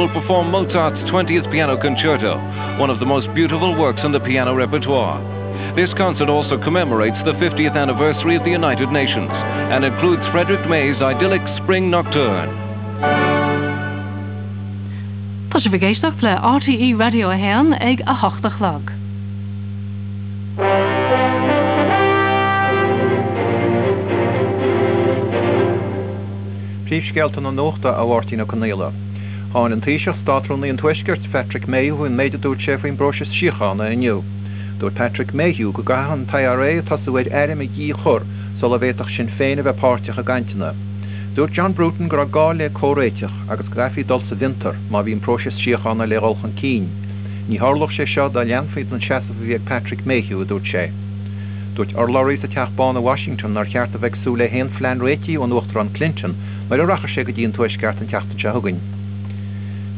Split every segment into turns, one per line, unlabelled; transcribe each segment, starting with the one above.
Will perform Mozart's 20th Piano Concerto, one of the most beautiful works in the piano repertoire. This concert also commemorates the 50th anniversary of the United Nations and includes Frederick May's idyllic Spring Nocturne.
Tá sibh ag éisteacht le RTÉ Raidió 1 ag 8 a chlog.
Príomhscéalta na nuachta, a Mháirtín Ó Conaola. Cháin an Taoiseach, Státrúnaí an Tuaiscirt, Patrick Mayhew an méid a dúirt sé faoin bpróiseas síochána inniu. Dúirt Patrick Mayhew go gcaithfeadh an t-IRA tosú ar airm a dhíchur sula bhféadfadh Sinn Féin a bheith páirteach i gcainteanna. Dúirt John Bruton go raibh gá le comhréiteach agus go gcaithfí dul sa bhfiontar má bhí an próiseas síochána le dhul chun cinn. Ní tharlódh sé seo dá leanfaí den seasamh a bhí ag Patrick Mayhew, a dúirt sé. Dúirt urlabhraí sa Teach Bán i Washington nár cheart a bheith ag súil le haon phlean réitigh ón Uachtarán Clinton nuair a rachaidh sé go dtí an Tuaisceart an tseachtain seo chugainn.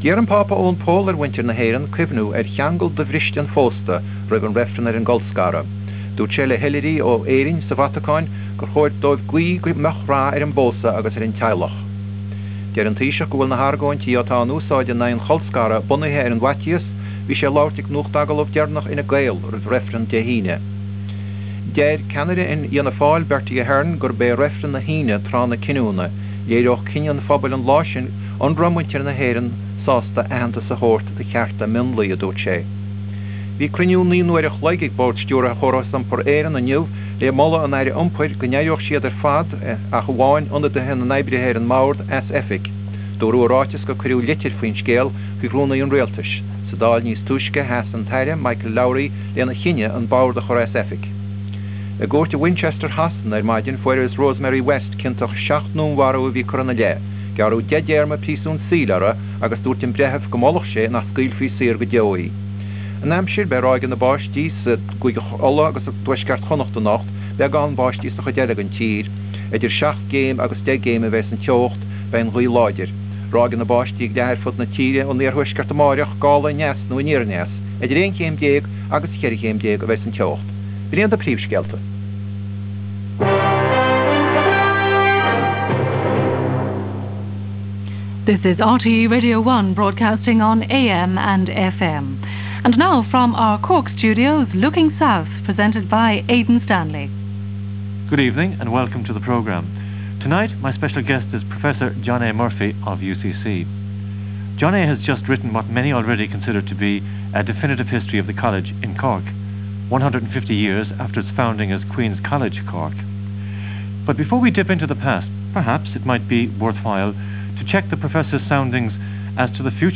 D'iarr an Pápa Eoin Pól ar mhuintir na hÉireann cuimhniú ar cheangal dobhriste an phósta roimh an reifreann ar an gcolscaradh. Dúirt sé le hoilithrigh ó Éirinn sa Vatacáin gur chóir dóibh guí go mbeadh rath ar an bpósadh agus ar an teaghlach. Deir an Taoiseach go bhfuil na hargóintí atá in úsáid in aghaidh an cholscartha bunaithe ar an bhfaitíos, bhí sé ag labhairt ag nuachtagallamh deireanach Fhine Gael roimh reifreann Dé hAoine. Deir ceannaire Fhianna Fáil, Bertie Ahern, gurb é reifreann na hAoine tráth na cinniúna. Léireodh cinneadh an phobail an lá sin an raibh muintir na hÉireann sásta aitheantas a thabhairt do chearta mionlaigh, a dúirt sé. Bhí cruinniú 9 n-uair a chloig ag Bord Stiúrtha Chóras Iompair Éireann inniu le moladh an Aire Iompair go n-éireodh siad ar fad, ach amháin ionadaithe na n-oibrithe ar an mbord, as oifig. Dúradh i ráiteas gur cuireadh litir faoin scéal chuig Rúnaí an Rialtais. Sa Dáil níos túisce, sheas an tAire Michael Lowry lena chinneadh an bord a chur as oifig. I gcúirt i Winchester Shasana ar maidin fuarthas Rosemary West ciontach i 7 ndúnmharú a bhí curtha ina leith. Gearradh 10 dtéarma príosúin saoil uirthi agus dúirt an breitheamh go molfadh sé nach scaoilfí saor go deo í. An aimsir, beidh ráigeanna báistí sa gCúige Uladh agus i dtuaisceart Chonnacht anocht, beagán báistí sa chuid eile den tír. Idir 7 gcéim agus 10 gcéim a bheas an teocht, beidh an ghaoth láidir. Ráigeanna báistí ag leath ar fud na tíre ón iarthuaisceart amáireach, gála aneas nó aniar aneas. Idir 11 chéim agus 14 chéim a bheas an teocht. B'in iad na príomhscéalta.
This is RTE Radio 1 broadcasting on AM and FM. And now from our Cork studios, Looking South, presented by Aidan Stanley.
Good evening and welcome to the programme. Tonight, my special guest is Professor John A. Murphy of UCC. John A. has just written what many already consider to be a definitive history of the college in Cork, 150 years after its founding as Queen's College, Cork. But before we dip into the past, perhaps it might be worthwhile to check the professor's soundings as to the future.